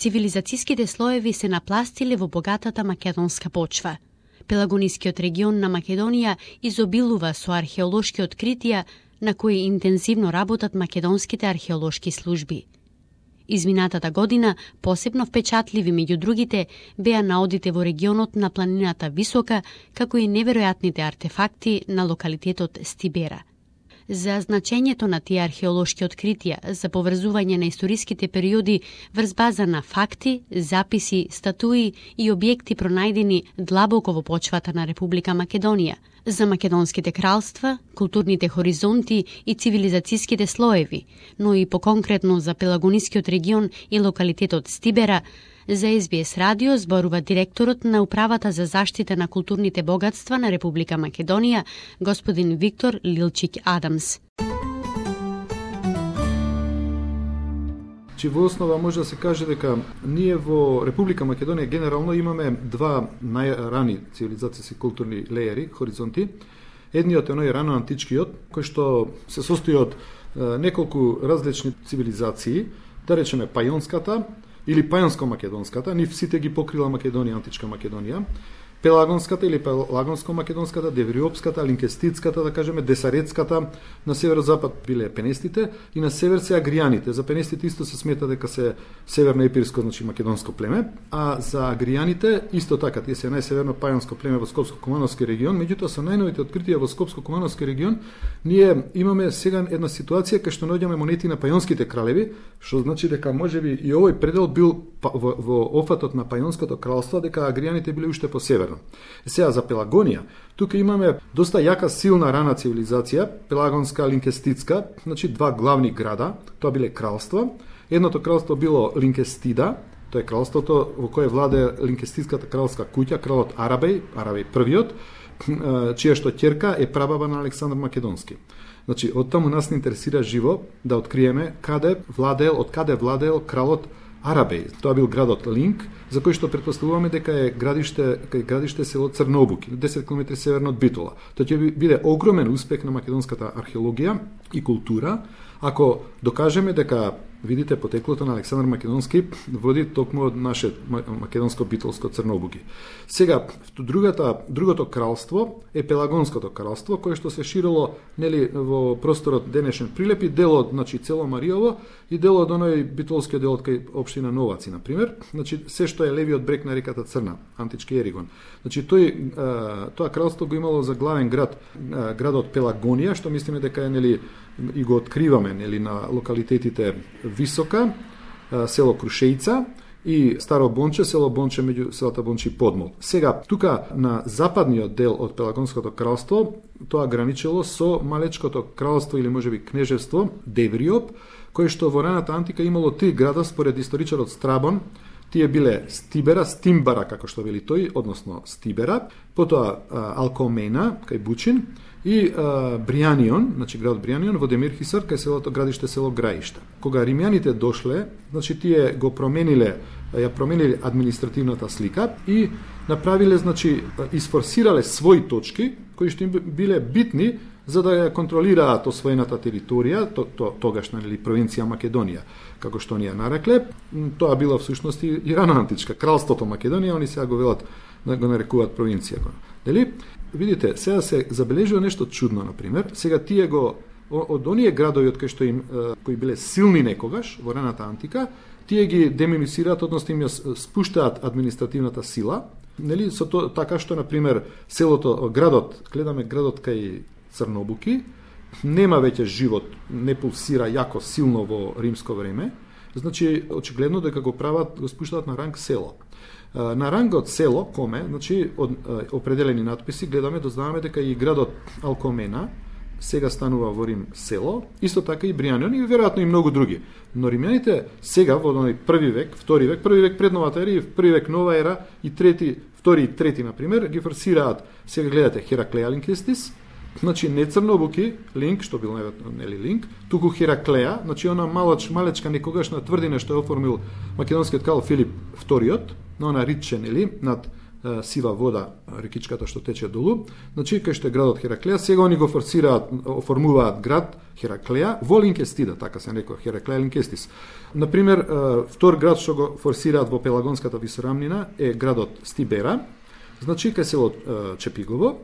Цивилизацијските слоеви се напластиле во богатата македонска почва. Пелагонискиот регион на Македонија изобилува со археолошки откритија на кои интензивно работат македонските археолошки служби. Изминатата година посебно впечатливи меѓу другите беа наодите во регионот на планината Висока, како и неверојатните артефакти на локалитетот Стибера. За значењето на тие археолошки откритија за поврзување на историските периоди врз база на факти, записи, статуи и објекти пронајдени длабоко во почвата на Република Македонија, за македонските кралства, културните хоризонти и цивилизацијските слоеви, но и поконкретно за Пелагонискиот регион и локалитетот Стибера, за СБС радио зборува директорот на Управата за заштита на културните богатства на Република Македонија, господин Виктор Лилчик Адамс. Во основа може да се каже дека ние во Република Македонија генерално имаме два најрани цивилизацијски културни леери, хоризонти. Едниот е оној рано античкиот, кој што се состои од неколку различни цивилизации, да речеме пајонската или пајонско-македонската, нив сите ги покрила Македонија, античка Македонија, Пелагонската или Пелагонско-македонската, Девриопската, Линкеститската, да кажеме, Десарецката, на северозапад биле пенестите и на север се агријаните. За пенестите исто се смета дека се северно-епирско, значи македонско племе, а за агријаните исто така, тие се најсеверно пајонско племе во Скопско-Кумановски регион, меѓутоа со најновите откритија во Скопско-Кумановски регион, ние имаме сега една ситуација кај што наоѓаме монети на пајонските кралеви, што значи дека можеби и овој предел бил во офатот на пајонското кралство, дека агријаните биле уште по север. Сега за Пелагонија, тука имаме доста јака силна рана цивилизација, Пелагонска, Линкеститска, значи два главни града, тоа биле кралства. Едното кралство било Линкестида, тоа е кралството во кое владе Линкеститската кралска куќа, кралот Арабеј првиот, чија што ќерка е прабаба на Александар Македонски. Значи, од таму нас не интересира живо да откриеме од каде владеел кралот Арабеј. Тоа бил градот Линк, за кој што претпоставуваме дека е градиште село Црнобук, 10 км северно од Битола. Тоа ќе биде огромен успех на македонската археологија и култура, ако докажеме дека, видите, потеклото на Александар Македонски води токму од наше македонско-битолско Црнобуги. Сега, другото кралство е Пелагонското кралство, кое што се ширило нели во просторот денешен Прилеп и дел од, значи, цело Мариово и дел од оној битолскиот дел од кај општина Новаци, на пример, значи се што е левиот брег на реката Црна, антички Еригон. Значи тоа кралство го имало за главен градот Пелагонија, што мислиме дека е нели и го откриваме нели на локалитетите Висока, село Крушејца и Старо Бонче, село Бонче меѓу селата Бонче и Подмол. Сега, тука на западниот дел од Пелагонското кралство, тоа граничело со малечкото кралство или можеби кнежевство Девриоп, кое што во раната антика имало три града според историчарот Страбон. Тие биле Стибера, Стимбара, како што вели тој, односно Стибера, потоа Алкомена, кај Бучин, и Брианион, значи градот Брианион во Демирхисар, кај селото градиште село Граишта. Кога римјаните дошле, значи тие го промениле административната слика и направиле, значи isforsirале своји точки кои што им биле битни за да ја контролираат освоената територија, тогашна нели провинција Македонија, како што ни ја нарекле. Тоа била всушност и рано античка кралството Македонија, они сега го велат, го нарекуваат провинција. Дали? Видите, сега се забележува нешто чудно, на пример. Сега тие од оние градови од кои биле силни некогаш во раната антика, тие ги деминусираат, односно им ја спуштаат административната сила. Нели, со така што, на пример, гледаме градот кај Црнобуки, нема веќе живот, не пулсира јако силно во римско време, значи очигледно дека го спуштаат на ранг село. На рангот село, коме, значи од определени надписи гледаме, дознаваме дека и градот Алкомена сега станува во Рим село, исто така и Брианион и веројатно и многу други. Но римјаните сега во први век пред новата ера и први век нова ера и втори и трети, на пример, ги форсираат, сега гледате Хераклеја Линкестис, значи не Црнобуки, Линк, што бил нели Линк, туку Хераклеја, значи она малечка некогашна тврдина што е оформил македонскиот крал Филип II, но она риче, нели, над сива вода, рекичката што тече долу. Значи, кај што е градот Хераклеја, сега они го оформуваат град Хераклеја во Линкестида, така се некој Хераклеја Линкестис. Например, втор град што го форсираат во Пелагонската висорамнина е градот Стибера, значи кај село Чепигово,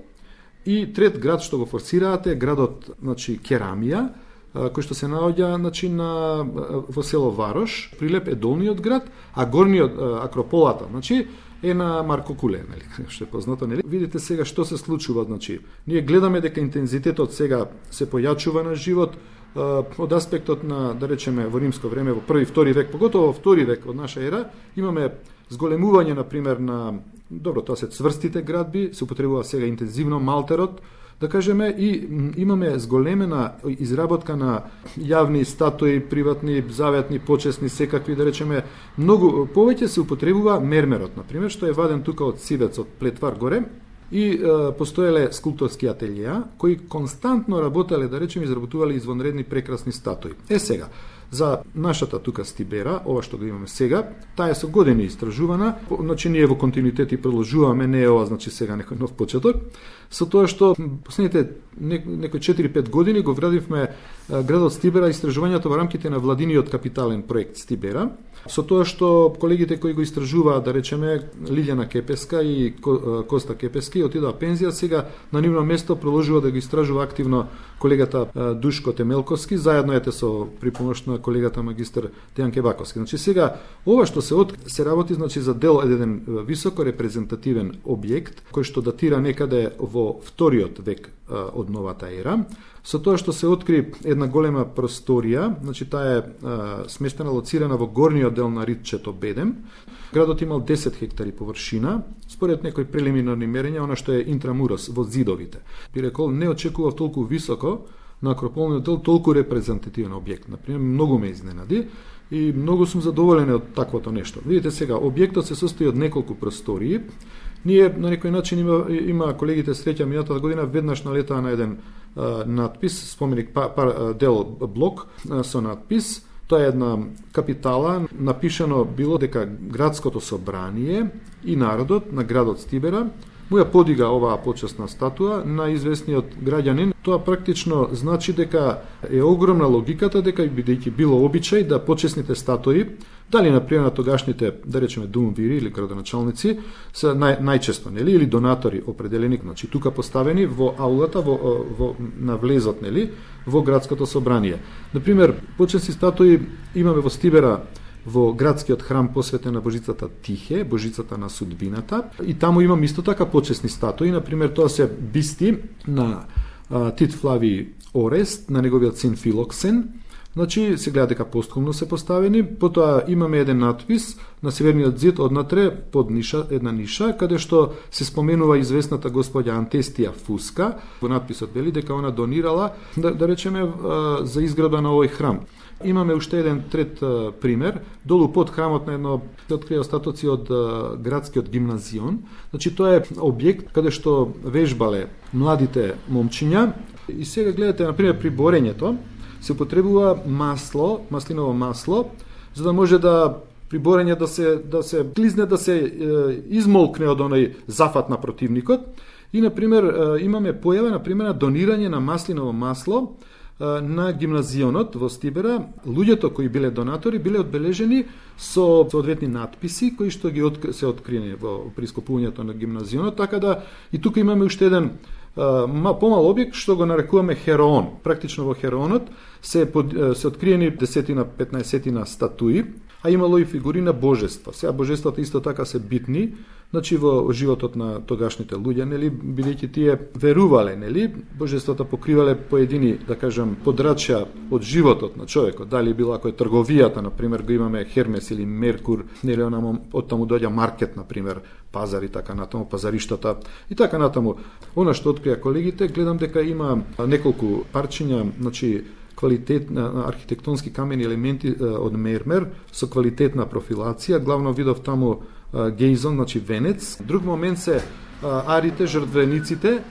и трет град што го форсираат е градот, значи, Керамија, кој што се наоѓа, значи, во село Варош. Прилеп е долниот град, а горниот Акрополата, значи, е на Марко Куле, нели, што е познато, нели. Видите сега што се случува, значи, ние гледаме дека интензитетот сега се појачува на живот од аспектот на, да речеме, во римско време, во први, втори век, поготово во втори век од наша ера, имаме зголемување, например, на, добро, тоа се цврстите градби, се употребува сега интензивно малтерот, да кажеме, и имаме зголемена изработка на јавни статуи, приватни, заветни, почесни, секакви, да речеме, многу повеќе се употребува мермерот, например, што е ваден тука од Сивец, од Плетвар горе, и постоеле скулпторски ателија, кои константно работеле, да речеме, изработувале извонредни прекрасни статуи. Сега, за нашата тука Стибера, ова што го имаме сега, таа е со години истражувана, значи ние во континуитет и продолжуваме, не е ова, значи сега некој нов почеток, со тоа што последните некои 4-5 години го врадивме градот Стибера, истражувањето во рамките на владиниот капитален проект Стибера, со тоа што колегите кои го истражуваат, да речеме, Лилјана Кепеска и Коста Кепески, отидоа пензија, сега на нивно место продолжува да го истражува активно колегата Душко Темелковски, заедно ете со припомош на колегата магистар Дејан Кебаковски. Значи сега ова што се работи, значи, за дел еден високо репрезентативен објект кој што датира некаде во вториот век од новата ера, со тоа што се откри една голема просторија, значи таа е сместена, лоцирана во горниот дел на ридчето Бедем. Градот имал 10 хектари површина, според некои прелиминарни мерења, она што е интрамурос во зидовите. Би рекол, не очекував толку високо на акрополниот дел толку репрезентативен објект. Например, многу ме изненади и многу сум задоволен од таквото нешто. Видите сега, објектот се состои од неколку простории. Ние на некој начин има колегите среќа минатата година веднаш налетаа на еден надпис, споменик дел блок со надпис. Тоа е една капитала, напишано било дека градското собрание и народот на градот Стибера му ја подига оваа почесна статуа на известниот граѓанин. Тоа практично значи дека е огромна логиката, дека бидејќи било обичај да почесните статуи, дали например на тогашните, да речеме, думвири или градоначалници, се најчесто, нели, или донатори определени, значи тука поставени во аулата, на влезот, нели, во градското собрание. Например, почесни статуи имаме во Стибера, во градскиот храм посветен на божицата Тихе, божицата на судбината, и таму имам исто така почесни статуи. Например, тоа се бисти на Тит Флавий Орест, на неговиот син Филоксен. Значи, се гледа дека постхумно се поставени. Потоа имаме еден надпис на северниот зид однатре под една ниша, каде што се споменува известната господја Антестија Фуска. Во надписот вели дека она донирала, да речеме, за изграда на овој храм. Имаме уште еден трет пример. Долу под храмот на едно се открија остатоци од градскиот гимназион. Значи, тоа е објект каде што вежбале младите момчиња. И сега гледате, например, при борењето се употребува масло, маслиново масло, за да може да при борење да се клизне, да се измолкне од оној зафат на противникот. И, например, имаме појава, например, донирање на маслиново масло на гимназионот во Стибера. Луѓето кои биле донатори биле одбележени со соодветни надписи кои што ги се откриени при скопувањето на гимназионот, така да и тука имаме уште еден помал објект што го нарекуваме Хероон. Практично во Хероонот се откриени 10-15 статуи, а имало и фигури на божества. Сега божествата исто така се битни, значи во животот на тогашните луѓе, нели, бидејќи тие верувале, нели, божествата покривале поедини, да кажам, подрачја од животот на човекот. Дали било ако е трговијата, например, го имаме Хермес или Меркур, нели, од таму доаѓа маркет, например, пазар и така натаму, пазариштата и така натаму. Она што открија колегите, гледам дека има неколку парчиња, значи, квалитетна архитектонски камени елементи од мермер со квалитетна профилација. Главно видов таму гејзон, значи венец. Друг момент се арите, жртвениците.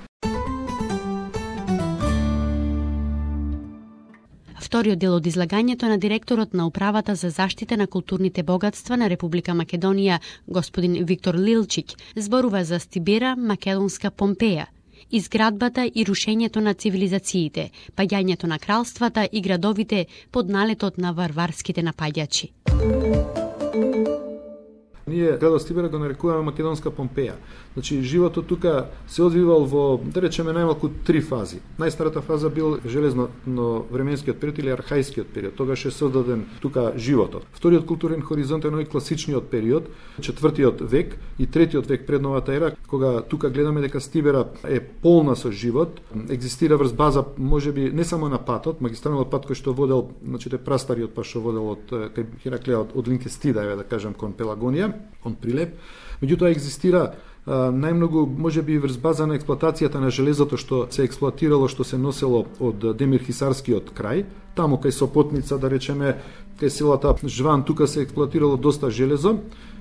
Вториот дел од излагањето на директорот на Управата за заштита на културните богатства на Република Македонија, господин Виктор Лилчиќ, зборува за Стибера, македонска Помпеја, изградбата и рушењето на цивилизациите, паѓањето на кралствата и градовите под налетот на варварските напаѓачи. Ние градот Стибера го нарекуваме македонска Помпеја. Значи, животот тука се одвивал во, да речеме, најмалку 3 фази. Најстарата фаза бил железно-временскиот период или архајскиот период. Тогаш е создаден тука животот. Вториот културен хоризонт е класичниот период, 4-тиот век и 3-тиот век пред новата ера, кога тука гледаме дека Стибера е полна со живот, екзистира врз база, можеби не само на патот, магистралниот пат кој што водел, значи прастариот пат што водел од кај Хераклеа од Линкестида, да кажам, кон Пелагонија, кон Прилеп. Меѓутоа екзистира најмногу, можеби врз база на експлоатацијата на железото што се експлоатирало, што се носело од Демир-Хисарскиот крај, таму кај Сопотница, да речеме, кај селата Жван, тука се експлоатирало доста железо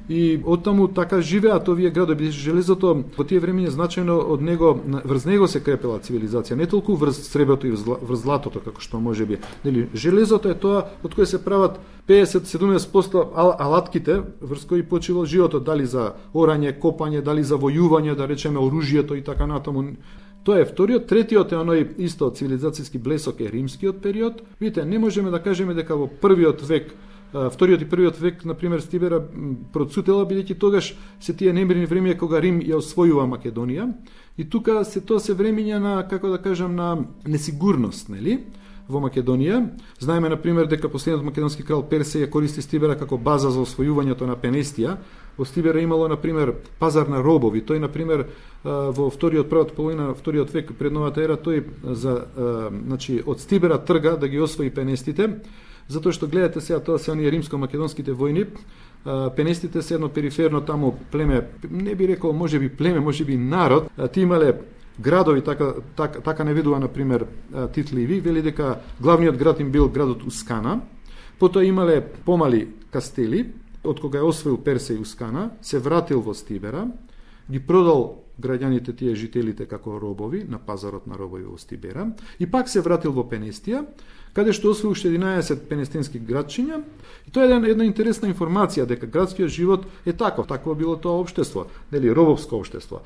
и оттаму така живеат овие градови. Железото во тие времиња значајно од него, врз него се крепела цивилизација, не толку врз среброто и врз златото, како што можеби. Нели, железото е тоа од кое се прават 50-70% алатките врз кои почивал животот, дали заорање, копање, дали за војување, да речеме оружјето и така натаму. Тоа е вториот. Третиот е оној исто цивилизацијски блесок е римскиот период. Видите, не можеме да кажеме дека во првиот век, вториот и првиот век, например, Стибера процутела, бидејќи тогаш се тие немирни времиња кога Рим ја освојува Македонија и тука тоа се времиња на, како да кажам, на несигурност, нели? Во Македонија. Знаеме, например, дека последниот македонски крал Персеј ја користи Стибера како база за освојувањето на Пенестија. Во Стибера имало, например, пазар на робови. Тој, например, во првата половина на вториот век пред новата ера, тој значи, од Стибера трга да ги освои Пенестите, затоа што гледате сега, тоа се оние римско-македонските војни. Пенестите се едно периферно таму племе, не би рекол можеби племе, можеби народ. Ти имале градови, така наведува, например, Тит Ливи, вели дека главниот град им бил градот Ускана, потоа имале помали кастели, од кога е освоил Персеј Ускана, се вратил во Стибера, ги продал граѓаните тие жителите како робови на пазарот на робови во Стибера и пак се вратил во Пенестија, каде што освоил 11 пенестински градчиња. И тоа е една интересна информација дека градскиот живот е таков, такво било тоа општество, нели робовско општество.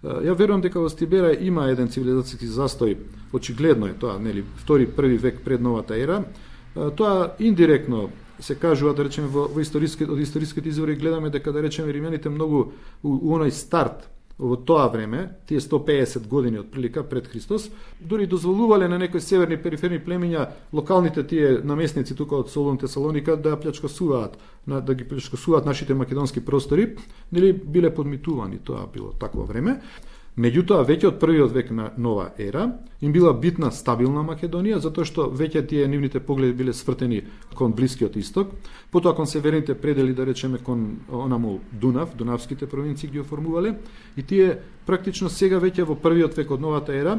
Ја верувам дека во Стибера има еден цивилизацијски застој, очигледно е тоа, нели, први век пред новата ера. Тоа индиректно се кажува, да речеме, од историските извори гледаме дека, да речеме, римјаните многу у оној старт во тоа време, тие 150 години од прилика пред Христос, дури дозволувале на некои северни периферни племиња, локалните тие наместници тука од Солун, Тесалоника, да ги плячкосуваат нашите македонски простори, нели биле подмитувани, тоа било такво време. Меѓутоа, веќе од првиот век на нова ера, им била битна стабилна Македонија, затоа што веќе тие нивните погледи биле свртени кон Блискиот исток, потоа кон северните предели, да речеме, кон онаму Дунав, дунавските провинции ги оформувале, и тие практично сега веќе во првиот век од новата ера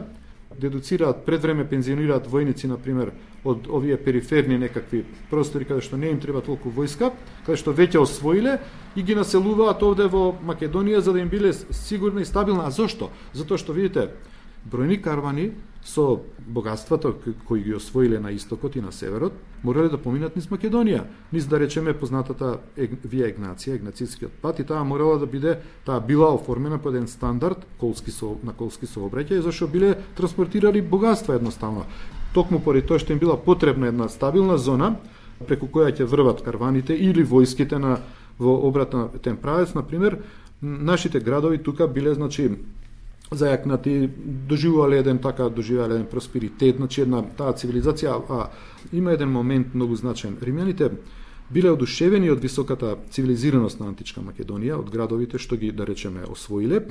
дедуцираат, пред време пензионираат војници, например, од овие периферни некакви простори каде што не им треба толку војска, каде што веќе освоиле и ги населуваат овде во Македонија за да им биле сигурна и стабилна. А зошто? Затоа што, видите, бројни карвани со богатствата кои ги освоиле на истокот и на северот, морале да поминат низ Македонија, низ, да речеме, познатата Вија Егнација, Егнацискиот пат, и таа морала да биде, таа била оформена по еден стандард на колски сообраќај, зашто биле транспортирали богатства едноставно. Токму поради тоа што им била потребна една стабилна зона преку која ќе врват карваните или војските во обратен правец, например, нашите градови тука биле, значи, зајакнати, доживувале еден просперитет, значи една таа цивилизација. Има еден момент многу значаен. Римјаните биле одушевени од високата цивилизираност на античка Македонија, од градовите што ги, да речеме, освоиле,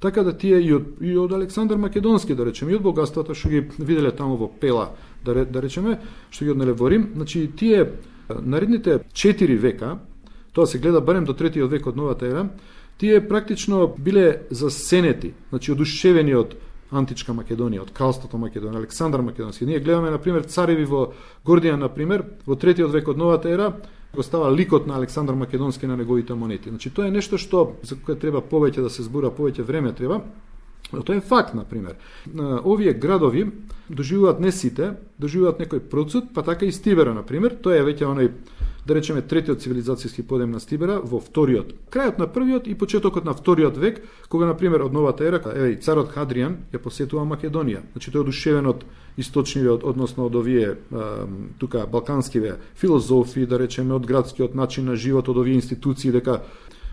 така да тие и од Александар Македонски, да речеме, и од богатствата што ги виделе таму во Пела, да речеме, што ги однеле во Рим, значи тие наредните 4 века, тоа се гледа барем до 3-тиот век од новата ера, тие практично биле засенети, значи одушевени од античка Македонија, од кралството Македонија, Александар Македонски. Ние гледаме, например, цареви во Гордијан, например, во 3-тиот век од новата ера, го става ликот на Александар Македонски на неговите монети. Значи, тоа е нешто што за кое треба повеќе да се збора, повеќе време треба. Тоа е факт, например. Овие градови доживуваат не сите, доживуваат некој процут, па така и Стибера, например. Тоа е веќе оној, да речеме, третиот цивилизацијски подем на Стибера во вториот, крајот на првиот и почетокот на вториот век, кога, например, од новата ера, и царот Хадријан ја посетува Македонија. Значи, тој е одушевен од источнивиот, односно од овие тука балканскиве филозофи, да речеме, од градскиот начин на живот, од овие институции, дека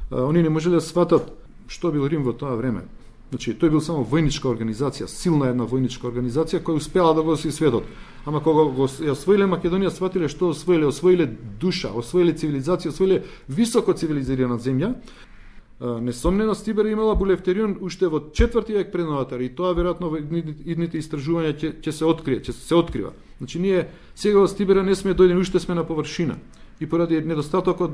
они не можеле да сватат што бил Рим во тоа време. Значи, тој бил само војничка организација, силна една војничка организација која успела да го оси светот. Ама кога го освоиле Македонија, сватиле што освоиле душа, освоиле цивилизација, освоиле високо цивилизирана земја. Несомнено Стибера имала булевтерион уште во 4 век пред новата ера и тоа веројатно во идните истражувања ќе се открива. Значи ние сега во Стибера не сме дојдени, уште сме на површина. И поради недостатокот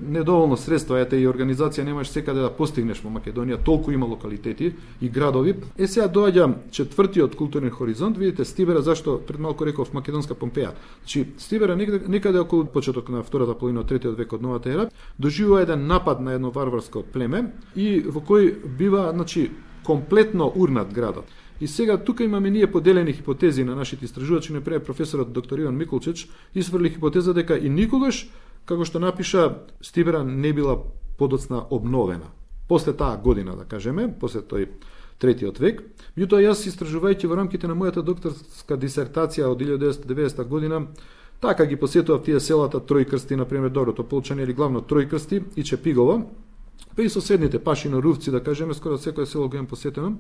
недоволно средства, ете и организација немаш секаде да постигнеш во Македонија, толку има локалитети и градови. Сега доаѓа четвртиот културен хоризонт, видите Стибера, зашто пред малку реков македонска Помпеја. Значи Стибера некаде околу почеток на втората половина од третиот век од новата ера доживува еден напад на едно варварско племе и во кој бива, значи, комплетно урнат градот. И сега тука имаме ние поделени хипотези на нашите истражувачи, например професорот доктор Иван Миколчич изфрли хипотеза дека и никогаш, како што напиша, Стибера не била подоцна обновена. После таа година, да кажеме, после тој третиот век. Меѓутоа јас истражувајќи во рамките на мојата докторска дисертација од 1990 година, така ги посетував тие селата Тројкрсти, например, Доброто Полчање или главно Тројкрсти и Чепигово, па и соседните Пашино, Рувци, да кажеме, скоро секој село го имам посетено.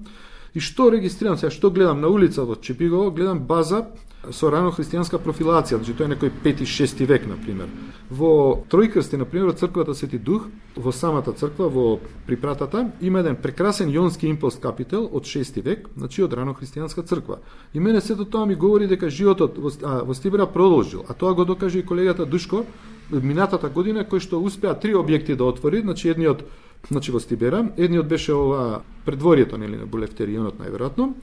И што регистрирам сега, што гледам на улица во Чепигово, гледам база со рано христијанска профилација, значи тоа е некој 5-6 век, например. Во Тројкрсти, например, црквата Свети Дух, во самата црква, во припратата, има еден прекрасен јонски импост капител од 6 век, значи од рано христијанска црква. И мене сето тоа ми говори дека животот во Стибера продолжил, а тоа го докаже и колегата Душко минатата година, кој што успеа 3 објекти да отвори, значи едниот во Стибера, едниот беше ова предворието, нели, на булевтерионот најверојатно,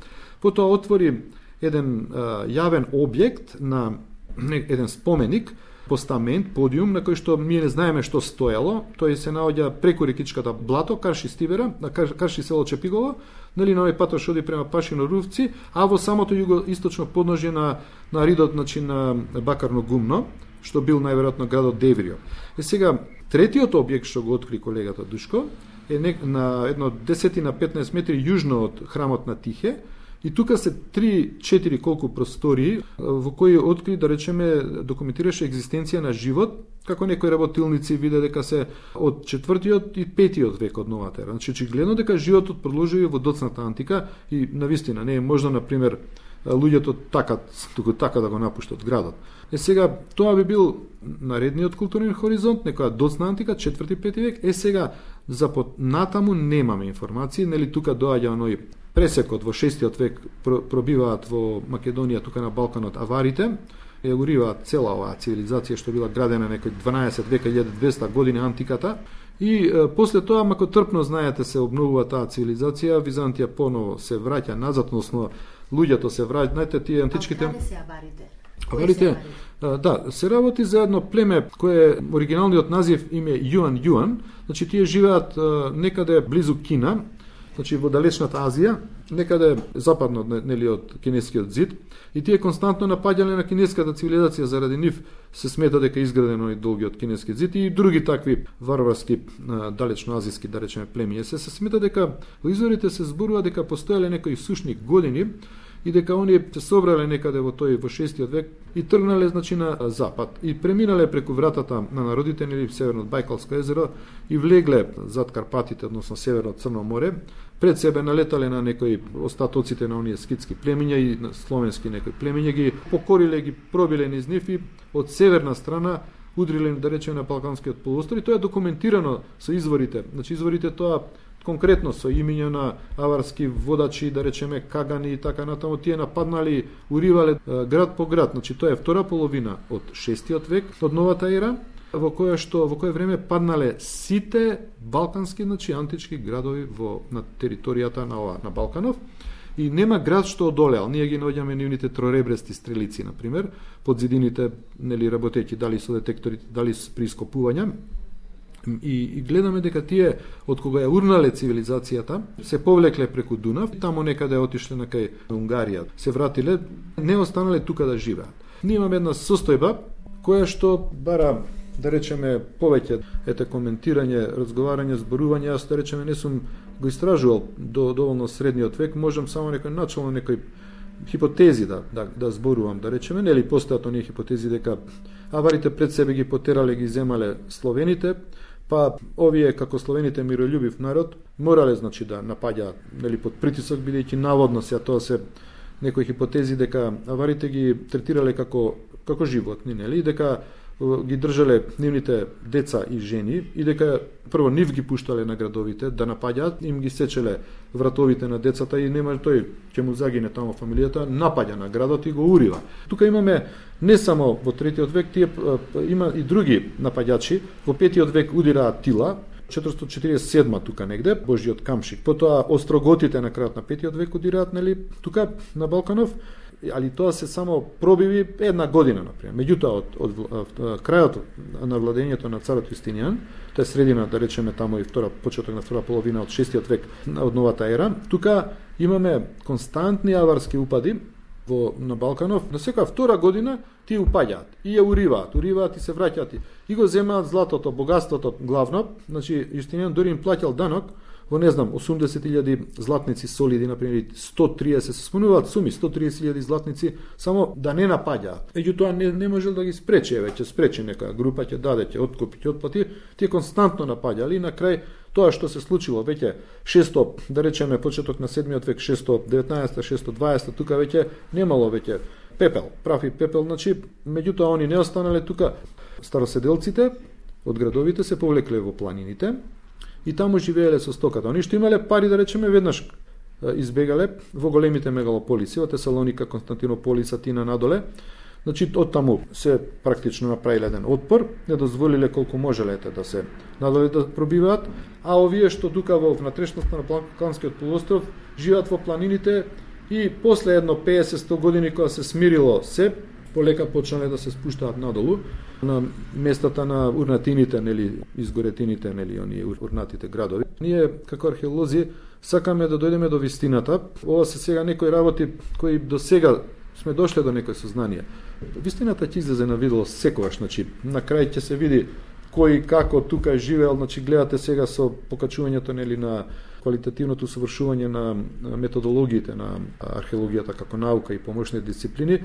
потоа отвори еден јавен објект на еден споменик, постамент, подиум, на кој што ние не знаеме што стоело, тој се наоѓа преку рекичката блато, карши Стибера, карши село Чепигово, нели на овој патош оди према Пашино Рувци, а во самото југоисточно подножје на ридот, значи на Бакарно гумно, што бил најверојатно градот Деврио. И сега третиот објект што го откри колегата Душко е на едно 10 на 15 метри јужно од храмот на Тихе, и тука се 3-4 колку простории во кои откри, да речеме, документираше екзистенција на живот, како некои работилници виде дека се од 4-тиот и 5-тиот век од новата ера. Значи очигледно дека животот продолжува во доцната антика и навистина не е можно, например, луѓето така да го напуштат градот. Сега тоа би бил наредниот културен хоризонт, некоја доцна антика, 4-5 век. Сега за натаму немаме информации, нели тука доаѓа оној пресекот во 6-тиот век, пробиваат во Македонија, тука на Балканот, аварите, ја уриваат цела оваа цивилизација што била градена некој 12 века, 1200 години антиката, и после тоа, мако трпно, знаете, се обновува таа цивилизација, Византија поново се враќа назад, односно луѓето се враќаат, знаете, тие античките... А каде се аварите? Аварите, да, се работи за едно племе кое оригиналниот назив име Јуан, значи тие живеат некаде близу Кина, значи во далечната Азија, некаде западно, нели, од кинескиот зид, и тие константно напаѓале на кинеската цивилизација, заради нив се смета дека изградено и долгиот кинески зид и други такви варварски далечноазиски, да речеме, племиња. Се смета дека во изворите се зборува дека постоеле некои сушни години и дека оние се собрале некаде во 6-тиот век и тргнале, значи, на запад и преминале преку вратата на народите, нели, северно од Бајкалско езеро и влегле зад Карпатите, односно северно од Црно море. Пред себе налетале на некои остатоците на оние скитски племиња и на словенски некои племиња, ги покориле, ги пробиле низ нив и од северна страна удриле, да речеме, на Балканскиот полуостров, и тоа е документирано со изворите. Значи изворите тоа конкретно со имиња на аварски водачи, да речеме Кагани и така натаму, тие нападнали, уривале град по град. Значи тоа е втора половина од 6-тиот век од новата ера, во кое време паднале сите балкански, значи антички градови на територијата на Балканов, и нема град што одолеал. Ние ги наоѓаме нивните троребрести стрелици, например, под зидините, нели, работејќи дали со детекторите, дали при ископувања. И гледаме дека тие од кога ја урнале цивилизацијата се повлекле преку Дунав, таму некаде отишле на кај Унгарија, се вратиле, не останале тука да живеат. Ние имаме една состојба која што бара, да речеме, повеќе коментирање, разговарање, зборување. Јас, да речеме, не сум го истражувал доволно средниот век, можам само начално некој хипотези да зборувам, да речеме, нели постојат оние хипотези дека аварите пред себе ги потерале, ги земале словените, па овие како словените мирољубив народ морале, значи, да напаѓаат, нели, под притисок, бидејќи наводно тоа се некои хипотези дека аварите ги третирале како животни, нели, дека ги држале нивните деца и жени и дека прво нив ги пуштале на градовите да напаѓаат, им ги сечеле вратовите на децата и нема тој ќе му загине таму фамилијата, напаѓа на градот и го урива. Тука имаме не само во 3 век, има и други напаѓачи. Во 5 век удираат Тила, 447 тука негде, Божиот камшик. Потоа остроготите на крајот на 5 век удираат, нели, тука на Балканов, али тоа се само пробиви една година, например. Меѓутоа, од крајот на владењето на царот Јустинијан, тоа е средина, да речеме, таму и почеток на втора половина од 6 век од новата ера, тука имаме константни аварски упади на Балканов. На секоја втора година тие упаѓаат и ја уриваат и се враќаат и го земаат златото, богатството главно. Значи, Јустинијан дори им плаќал данок во, не знам, 80.000 златници солиди, например, 130, се спомнуваат суми, 130.000 златници, само да не напаѓаат. Меѓутоа не можел да ги спречи, ќе спречи некоја група, ќе даде, ќе откупи, ќе отплати, тие константно напаѓали и на крај тоа што се случило веќе 600, да речеме, почеток на 7 век, 619, 620, тука веќе немало веќе пепел, прави пепел, значи, меѓутоа они не останале тука. Староседелците од градовите се повлекле во планините и таму живееле со стоката. Они што имале пари, да речеме, веднаш избегале во големите мегалополиси, во Тесалоника, Константинополис, Атина надоле. Значи, од таму се практично направиле еден отпор, не дозволиле колку можеле да се надоле да пробиваат, а овие што тука во внатрешноста на Балканскиот полуостров живеат во планините и после едно 50-100 години кога се смирило се, полека почнале да се спуштаат надолу на местата на урнатините, нели, изгоретините, нели, оние урнатите градови. Ние како археолози сакаме да дојдеме до вистината. Ова се сега некои работи кои до сега сме дошле до некој сознание. Вистината ќе излезе на видело секогаш, значи на крај ќе се види кој како тука живеел, значи гледате сега со покачувањето, нели, на квалитативното совршување на методологиите на археологијата како наука и помошни дисциплини,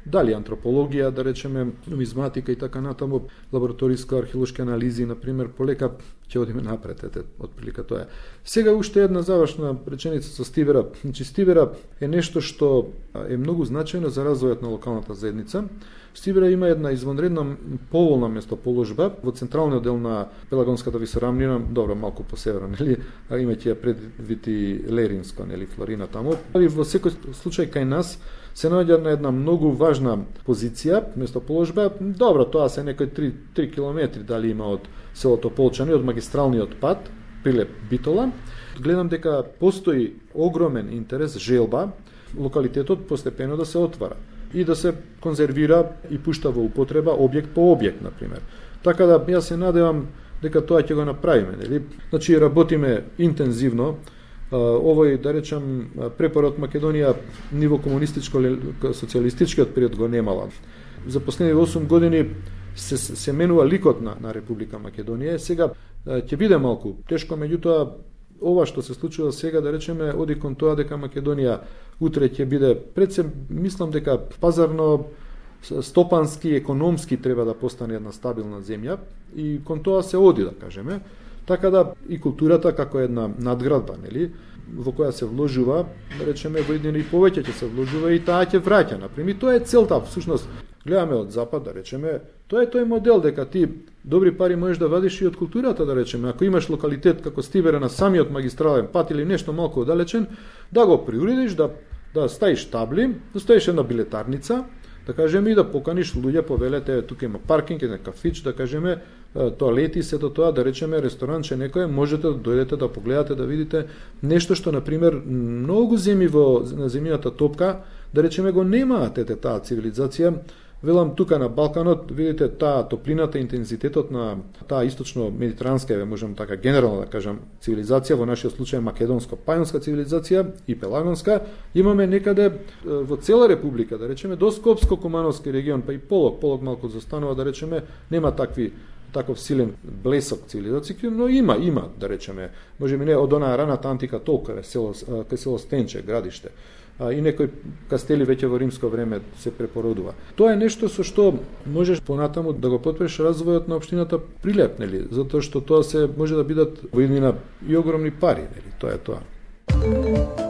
дали антропологија, да речеме, нумизматика и така натаму, лабораториска археолошки анализи, например, полека ќе одиме напред, отприлика тоа е. Сега уште една завршна реченица со Стивера. Значи, Стивера е нешто што е многу значајно за развојот на локалната заедница. Стивера има една извонредна поволна местоположба во централниот дел на Пелагонската висорамнина, добро, малку по северно, нели, имајќи ја предвити Леринско, нели, Флорина таму. И во секој случај кај нас се наоѓа на една многу важна позиција, местоположба. Добро, тоа се некои 3 километри дали има од селото Полчани, од магистралниот пат, Прилеп Битола. Гледам дека постои огромен интерес, желба, локалитетот постепено да се отвара и да се конзервира и пушта во употреба објект по објект, например. Така да јас се надевам дека тоа ќе го направиме, нели? Значи работиме интензивно. Овој, да речам, препорот Македонија ниво комунистичко, социјалистичкиот период го немала. За последни 8 години се менува ликот на Република Македонија. Сега ќе биде малку тешко, меѓутоа ова што се случува сега, да речеме, оди кон тоа дека Македонија утре ќе биде, пред се мислам дека пазарно, стопански, економски треба да постане една стабилна земја и кон тоа се оди, да кажеме. Така да и културата како една надградба, нели, во која се вложува, да речеме, во еден и повеќе ќе се вложува и таа ќе враќа, например. И тоа е целта, всушност, гледаме од запад, да речеме, тоа е тој модел дека ти добри пари можеш да вадиш и од културата, да речеме. Ако имаш локалитет како Стивера на самиот магистрален пат или нешто малку оддалечен, да го приуредиш, да ставиш табли, да ставиш една билетарница, да кажеме, и да поканиш луѓе, повелете, тука има паркинг, една кафич, да кажеме, тоалети, сето тоа, да речеме, ресторанче некој, можете да дојдете да погледате, да видите нешто што, например, многу земји на земјината топка, да речеме, го немаат таа цивилизација. Велам тука на Балканот, видите, таа топлината, интензитетот на таа источно-медитеранска, можам така генерално да кажам, цивилизација, во нашиот случај македонско-пајонска цивилизација и пелагонска, имаме некаде во цела република, да речеме, до Скопско-Кумановски регион, па и Полог малку застанува, да речеме, нема таков силен блесок цивилизација, но има, да речеме, можеби не од онаа раната антика толку кај село Стенче, градиште, и некои кастели веќе во римско време се препородува. Тоа е нешто со што можеш понатаму да го потпреш развојот на општината прилеп, нели, затоа што тоа се може да бидат во иднина и огромни пари, нели, тоа е тоа.